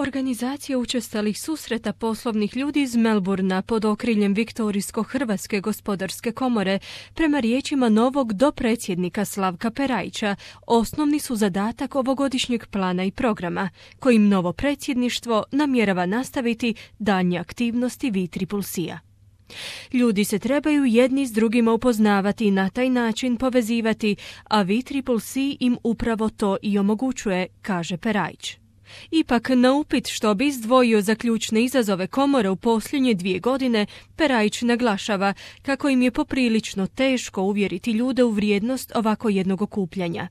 Organizacija učestalih susreta poslovnih ljudi iz Melburna pod okriljem Viktorijsko-Hrvatske gospodarske komore, prema riječima novog dopredsjednika Slavka Perajića, osnovni su zadatak ovogodišnjeg plana i programa, kojim novo predsjedništvo namjerava nastaviti daljnje aktivnosti VCCC-a. Ljudi se trebaju jedni s drugima upoznavati i na taj način povezivati, a VCCC im upravo to i omogućuje, kaže Perajić. Ipak, na upit što bi izdvojio za ključne izazove komore u posljednje 2 godine, Perajić naglašava kako im je poprilično teško uvjeriti ljude u vrijednost ovako jednog okupljanja.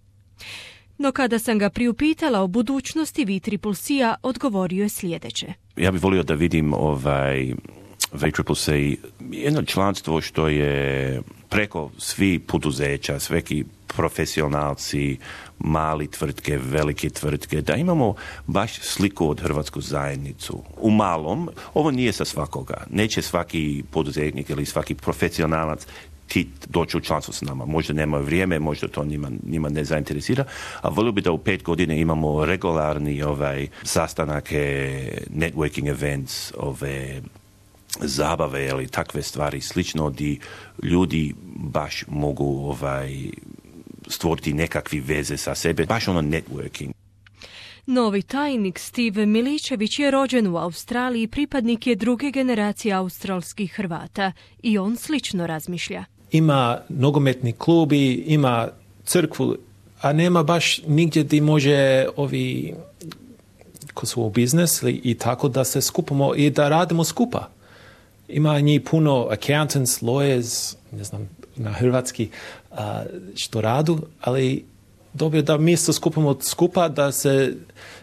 No kada sam ga priupitala o budućnosti VCCC-a, odgovorio je sljedeće. Ja bih volio da vidim VCCC jedno članstvo što je preko svih poduzeća, sveki profesionalci, mali tvrtke, velike tvrtke, da imamo baš sliku od hrvatsku zajednicu. U malom, ovo nije sa svakoga. Neće svaki poduzetnik ili svaki profesionalac ti doći u članstvo s nama. Možda nemaju vrijeme, možda to njima ne zainteresira, a volio bi da u 5 godina imamo regularni sastanake, networking events, zabave ili takve stvari slično gdje ljudi baš mogu stvoriti nekakve veze sa sebe, baš networking. Novi tajnik Steve Miličević je rođen u Australiji, pripadnik je 2. generacije australskih Hrvata i on slično razmišlja. Ima nogometni klubi, ima crkvu, a nema baš nigdje gdje može ko su u biznis i tako da se skupimo i da radimo skupa. Ima njih puno accountants, lawyers, ne znam na hrvatski što radu, ali dobro da mi se skupimo skupa, da se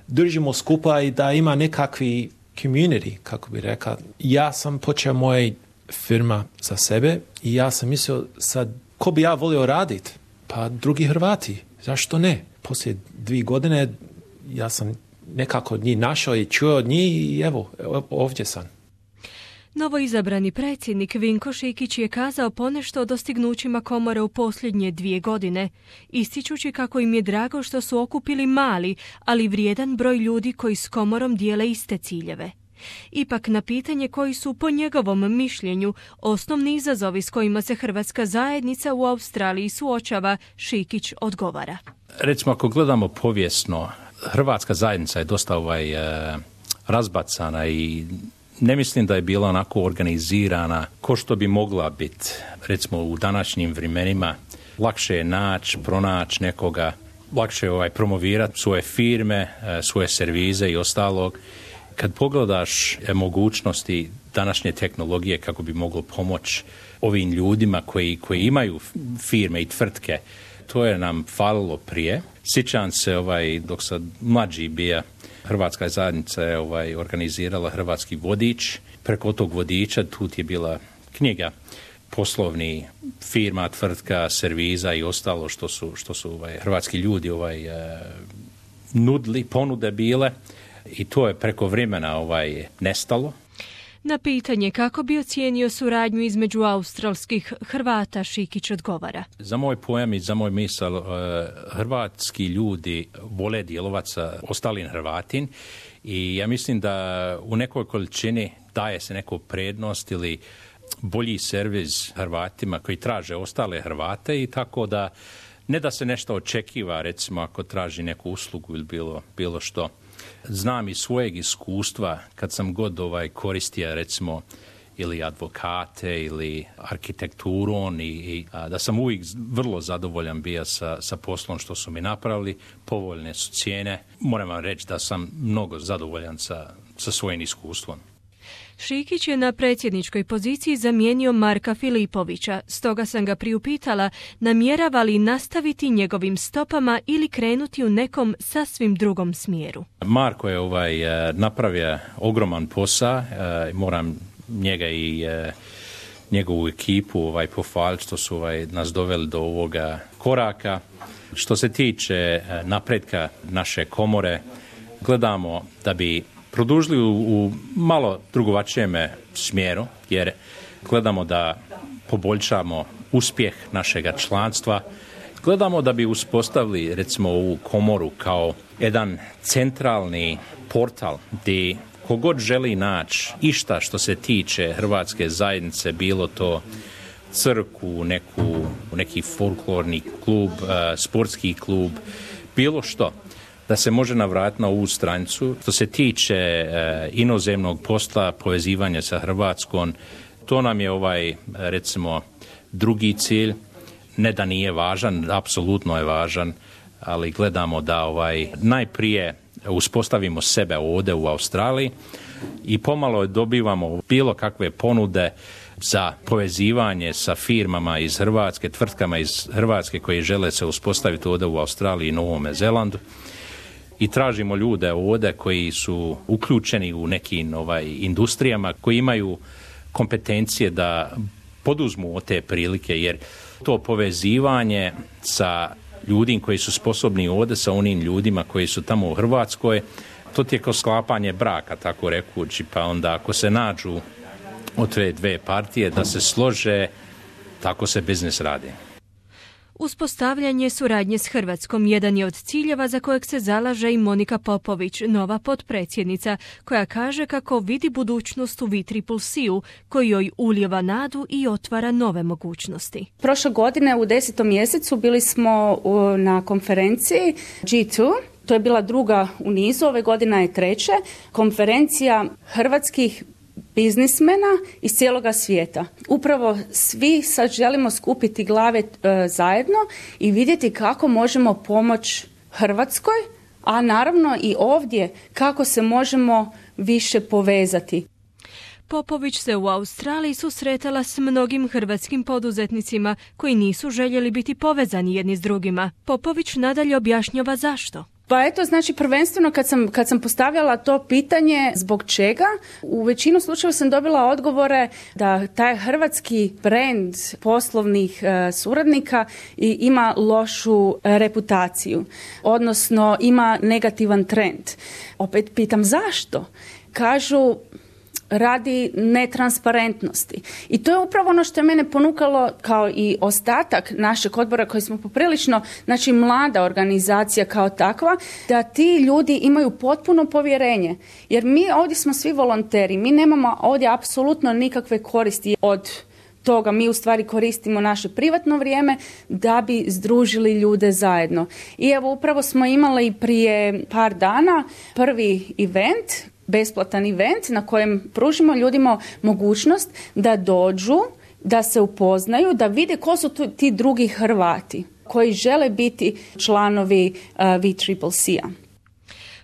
držimo skupa i da ima nekakvi community, kako bi rekao. Ja sam počeo moja firma za sebe i ja sam mislio sad, ko bi ja volio raditi? Pa drugi Hrvati, zašto ne? Poslije 2 godine ja sam nekako njih našao i čuo od njih i evo, ovdje sam. Novoizabrani predsjednik Vinko Šikić je kazao ponešto o dostignućima komore u posljednje 2 godine, ističući kako im je drago što su okupili mali, ali vrijedan broj ljudi koji s komorom dijele iste ciljeve. Ipak na pitanje koji su po njegovom mišljenju osnovni izazovi s kojima se hrvatska zajednica u Australiji suočava, Šikić odgovara. Recimo, ako gledamo povijesno, hrvatska zajednica je dosta razbacana i ne mislim da je bila onako organizirana ko što bi mogla biti. Recimo u današnjim vremenima lakše je pronaći nekoga, lakše je promovirati svoje firme, svoje servize i ostalog. Kad pogledaš mogućnosti današnje tehnologije kako bi moglo pomoći ovim ljudima koji imaju firme i tvrtke, to je nam falilo prije. Sjećam se dok sam mlađi bio, hrvatska zajednica je organizirala hrvatski vodič. Preko tog vodiča tu je bila knjiga poslovni firma, tvrtka, serviza i ostalo što su hrvatski ljudi nudili, ponude bile i to je preko vremena nestalo. Na pitanje kako bi ocijenio suradnju između australskih Hrvata, Šikić odgovara. Za moj pojam i za moj misal, hrvatski ljudi vole djelovati sa ostalim Hrvatin i ja mislim da u nekoj količini daje se neku prednost ili bolji servis Hrvatima koji traže ostale Hrvate i tako da ne da se nešto očekiva, recimo ako traži neku uslugu ili bilo što. Znam iz svojeg iskustva kad sam god koristio recimo ili advokate ili arhitekturom i da sam uvijek vrlo zadovoljan bio sa poslom što su mi napravili, povoljne su cijene. Moram vam reći da sam mnogo zadovoljan sa svojim iskustvom. Šikić je na predsjedničkoj poziciji zamijenio Marka Filipovića, stoga sam ga priupitala namjerava li nastaviti njegovim stopama ili krenuti u nekom sasvim drugom smjeru. Marko je napravio ogroman posao, moram njega i njegovu ekipu pohvaliti što su nas doveli do ovoga koraka. Što se tiče napretka naše komore, gledamo da bi produžili u malo drugačijem smjeru, jer gledamo da poboljšamo uspjeh našega članstva, Gledamo da bi uspostavili recimo ovu komoru kao jedan centralni portal gdje kogod želi naći išta što se tiče hrvatske zajednice, bilo to crkvu, neki folklorni klub, sportski klub, bilo što, da se može navratiti na ovu stranicu. Što se tiče inozemnog posla, povezivanja sa Hrvatskom, to nam je recimo drugi cilj. Ne da nije važan, apsolutno je važan, ali gledamo da najprije uspostavimo sebe ovdje u Australiji i pomalo dobivamo bilo kakve ponude za povezivanje sa firmama iz Hrvatske, tvrtkama iz Hrvatske koji žele se uspostaviti ovdje u Australiji i Novome Zelandu. I tražimo ljude ovdje koji su uključeni u nekim industrijama, koji imaju kompetencije da poduzmu te prilike, jer to povezivanje sa ljudima koji su sposobni ovdje sa onim ljudima koji su tamo u Hrvatskoj, to je kao sklapanje braka, tako rekući, pa onda ako se nađu od te dve partije da se slože, tako se biznis radi. Uspostavljanje suradnje s Hrvatskom jedan je od ciljeva za kojeg se zalaže i Monika Popović, nova potpredsjednica, koja kaže kako vidi budućnost u VCCC-u, koji joj ulijeva nadu i otvara nove mogućnosti. Prošle godine u 10. mjesecu bili smo na konferenciji G2, to je bila druga u nizu, ove godina je treća, konferencija hrvatskih biznismena iz cijeloga svijeta. Upravo svi sad želimo skupiti glave zajedno i vidjeti kako možemo pomoći Hrvatskoj, a naravno i ovdje kako se možemo više povezati. Popović se u Australiji susretala s mnogim hrvatskim poduzetnicima koji nisu željeli biti povezani jedni s drugima. Popović nadalje objašnjava zašto. Pa eto, znači prvenstveno kad sam postavljala to pitanje zbog čega, u većinu slučajeva sam dobila odgovore da taj hrvatski brand poslovnih suradnika ima lošu reputaciju, odnosno ima negativan trend. Opet pitam zašto? Kažu radi netransparentnosti. I to je upravo ono što je mene ponukalo, kao i ostatak našeg odbora koji smo poprilično, znači mlada organizacija kao takva, da ti ljudi imaju potpuno povjerenje. Jer mi ovdje smo svi volonteri, mi nemamo ovdje apsolutno nikakve koristi od toga, mi u stvari koristimo naše privatno vrijeme da bi združili ljude zajedno. I evo upravo smo imali prije par dana prvi event, besplatan event na kojem pružimo ljudima mogućnost da dođu, da se upoznaju, da vide ko su ti drugi Hrvati koji žele biti članovi VCCC-a.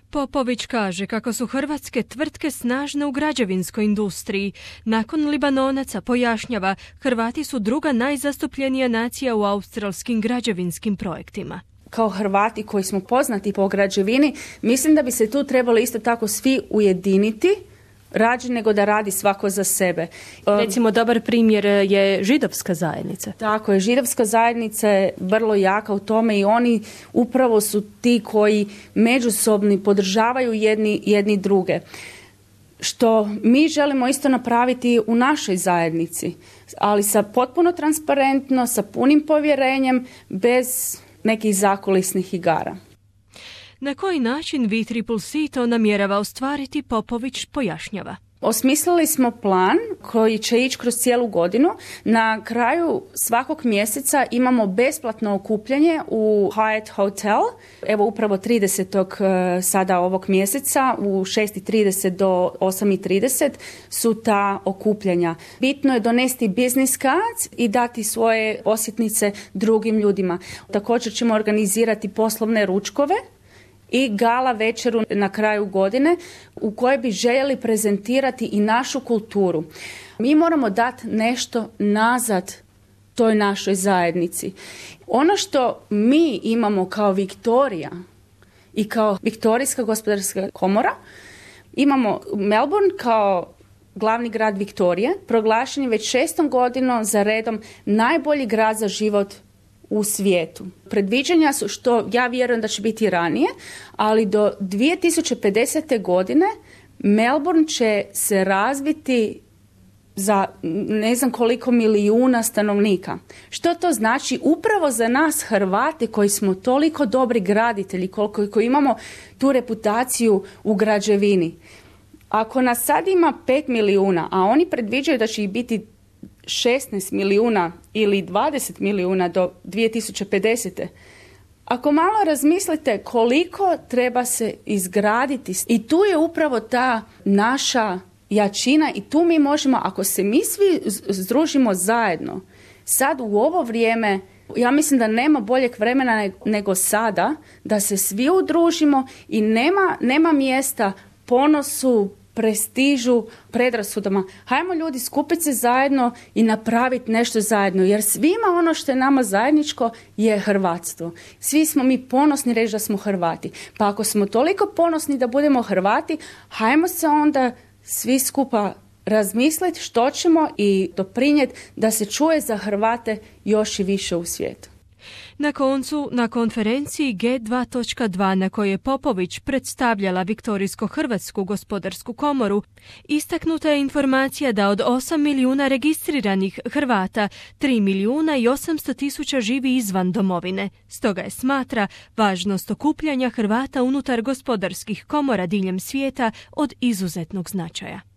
Popović kaže kako su hrvatske tvrtke snažne u građevinskoj industriji. Nakon Libanonaca, pojašnjava, Hrvati su druga najzastupljenija nacija u australskim građevinskim projektima. Kao Hrvati koji smo poznati po građevini, mislim da bi se tu trebali isto tako svi ujediniti, rađe nego da radi svako za sebe. Recimo, dobar primjer je židovska zajednica. Tako je, židovska zajednica je vrlo jaka u tome i oni upravo su ti koji međusobno podržavaju jedni druge. Što mi želimo isto napraviti u našoj zajednici, ali sa potpuno transparentno, sa punim povjerenjem, bez nekih zakulisnih igara. Na koji način VCCC to namjerava ostvariti, Popović pojašnjava. Osmislili smo plan koji će ići kroz cijelu godinu. Na kraju svakog mjeseca imamo besplatno okupljanje u Hyatt Hotel. Evo upravo 30. sada ovog mjeseca u 6:30 do 8:30 su ta okupljanja. Bitno je donesti business cards i dati svoje posjetnice drugim ljudima. Također ćemo organizirati poslovne ručkove i gala večeru na kraju godine u kojoj bi željeli prezentirati i našu kulturu. Mi moramo dati nešto nazad toj našoj zajednici. Ono što mi imamo kao Viktorija i kao Viktorijska gospodarska komora, imamo Melbourne kao glavni grad Viktorije, proglašen je već 6. godinu za redom najbolji grad za život u svijetu. Predviđanja su, što ja vjerujem da će biti ranije, ali do 2050. godine Melbourne će se razviti za ne znam koliko milijuna stanovnika. Što to znači upravo za nas Hrvate koji smo toliko dobri graditelji, koji imamo tu reputaciju u građevini? Ako nas sad ima 5 milijuna, a oni predviđaju da će ih biti 16 milijuna ili 20 milijuna do 2050. Ako malo razmislite koliko treba se izgraditi, i tu je upravo ta naša jačina i tu mi možemo, ako se mi svi združimo zajedno, sad u ovo vrijeme, ja mislim da nema boljeg vremena nego sada, da se svi udružimo i nema mjesta ponosu, prestižu, predrasudama. Hajmo ljudi skupiti se zajedno i napraviti nešto zajedno, jer svima ono što je nama zajedničko je hrvatstvo. Svi smo mi ponosni reći da smo Hrvati. Pa ako smo toliko ponosni da budemo Hrvati, hajmo se onda svi skupa razmisliti što ćemo i doprinijeti da se čuje za Hrvate još i više u svijetu. Na koncu, na konferenciji G2.2 na kojoj je Popović predstavljala Viktorijsko-Hrvatsku gospodarsku komoru, istaknuta je informacija da od 8 milijuna registriranih Hrvata, 3 milijuna i 800 tisuća živi izvan domovine. Stoga je smatra važnost okupljanja Hrvata unutar gospodarskih komora diljem svijeta od izuzetnog značaja.